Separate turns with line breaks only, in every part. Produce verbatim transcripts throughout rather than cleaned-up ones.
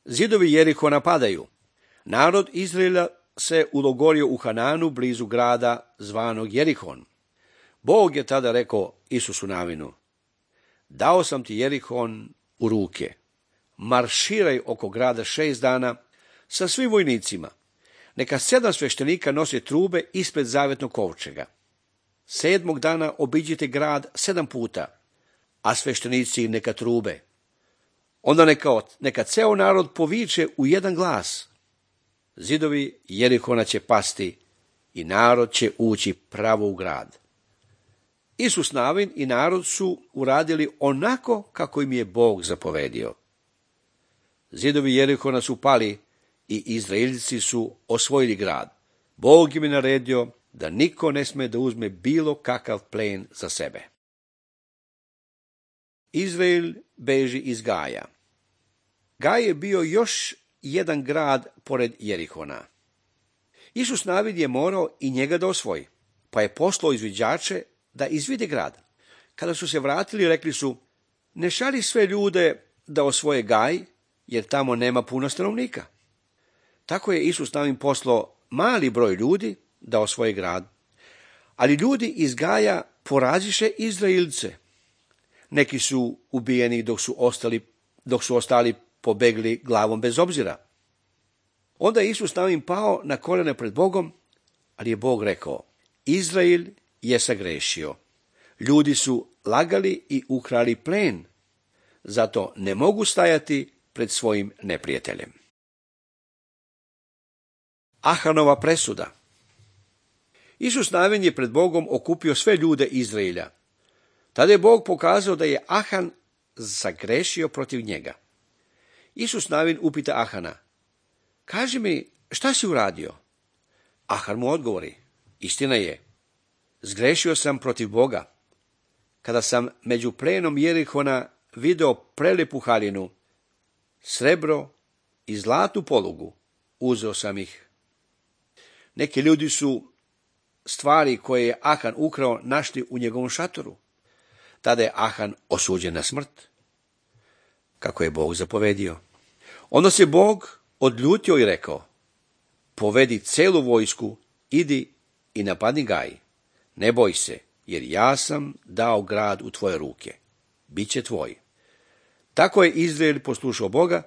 Zidovi Jerihona padaju. Narod Izraela se ulogorio u Hananu blizu grada zvanog Jerihon. Bog je tada rekao Isusu Navinu: dao sam ti Jerihon u ruke. Marširaj oko grada šest dana sa svim vojnicima. Neka sedam sveštenika nose trube ispred zavetnog kovčega. Sedmog dana obiđite grad sedam puta, a sveštenici neka trube. Onda neka, neka ceo narod poviče u jedan glas. Zidovi Jerihona će pasti i narod će ući pravo u grad. Isus Navin i narod su uradili onako kako im je Bog zapovedio. Zidovi Jerihona su pali i Izraelci su osvojili grad. Bog im je naredio da niko ne sme da uzme bilo kakav plen za sebe. Izrael beži iz Gaja. Gaj je bio još jedan grad pored Jerihona. Isus Navin je morao i njega da osvoji, pa je poslao izviđače da izvide grad. Kada su se vratili, rekli su: ne šalji sve ljude da osvoje Gaj, jer tamo nema puno stanovnika. Tako je Isus Navin poslao mali broj ljudi da osvoje grad, ali ljudi iz Gaja poraziše Izraelce. Neki su ubijeni dok su ostali, dok su ostali pobegli glavom bez obzira. Onda je Isus Navin pao na koljena pred Bogom, ali je Bog rekao: Izrael je sagrešio. Ljudi su lagali i ukrali plen, zato ne mogu stajati pred svojim neprijateljem. Ahanova presuda. Isus Navin je pred Bogom okupio sve ljude Izraelja. Tada je Bog pokazao da je Ahan sagrešio protiv njega. Isus Navin upita Ahana: kaži mi, šta si uradio? Ahan mu odgovori: istina je, zgrešio sam protiv Boga. Kada sam među plenom Jerihona video prelepu haljinu, srebro i zlatnu polugu, uzeo sam ih. Neki ljudi su stvari koje je Ahan ukrao našli u njegovom šatoru. Tada je Ahan osuđen na smrt, kako je Bog zapovedio. Onda se Bog odljutio i rekao: povedi celu vojsku, idi i napadni Gaj. Ne boj se, jer ja sam dao grad u tvoje ruke. Biće tvoj. Tako je Izrael poslušao Boga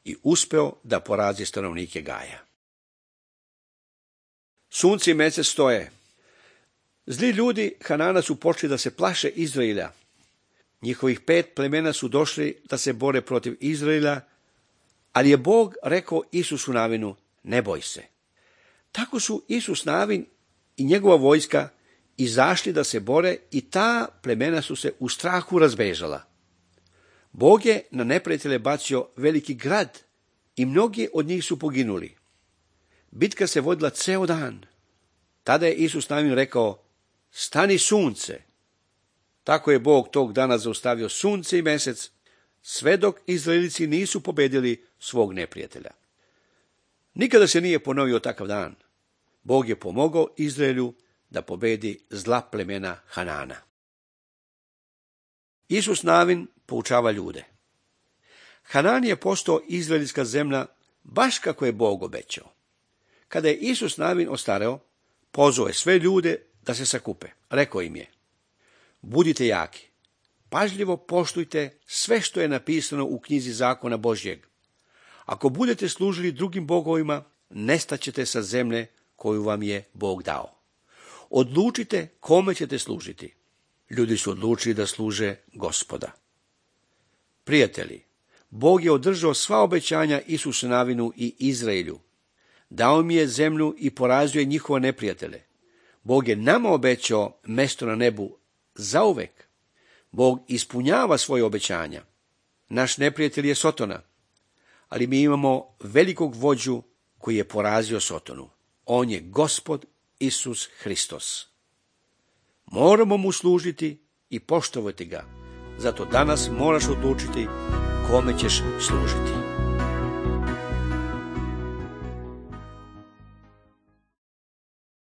i uspeo da porazi stanovnike Gaja. Sunce i mesec stoje. Zli ljudi Hanana su počeli da se plaše Izraela. Njihovih pet plemena su došli da se bore protiv Izraela, ali je Bog rekao Isusu Navinu: ne boj se. Tako su Isus Navin i njegova vojska izašli da se bore i ta plemena su se u strahu razbežala. Bog je na neprijatelje bacio veliki grad i mnogi od njih su poginuli. Bitka se vodila ceo dan. Tada je Isus Navin rekao: stani sunce. Tako je Bog tog dana zaustavio sunce i mesec, sve dok Izraelici nisu pobedili svog neprijatelja. Nikada se nije ponovio takav dan. Bog je pomogao Izraelju da pobedi zla plemena Hanana. Isus Navin poučava ljude. Hanan je postao izraelska zemlja baš kako je Bog obećao. Kada je Isus Navin ostareo, pozvao je sve ljude da se sakupe. Rekao im je: budite jaki, pažljivo poštujte sve što je napisano u knjizi zakona Božjeg. Ako budete služili drugim bogovima, nestaćete sa zemlje koju vam je Bog dao. Odlučite kome ćete služiti. Ljudi su odlučili da služe Gospoda. Prijatelji, Bog je održao sva obećanja Isusu Navinu i Izraelju. Dao mi je zemlju i porazio je njihove neprijatelje. Bog je nama obećao mesto na nebu zauvek. Bog ispunjava svoje obećanja. Naš neprijatelj je Sotona, ali mi imamo velikog vođu koji je porazio Sotonu. On je Gospod Isus Hristos. Moramo mu služiti i poštovati ga. Zato danas moraš odlučiti kome ćeš služiti.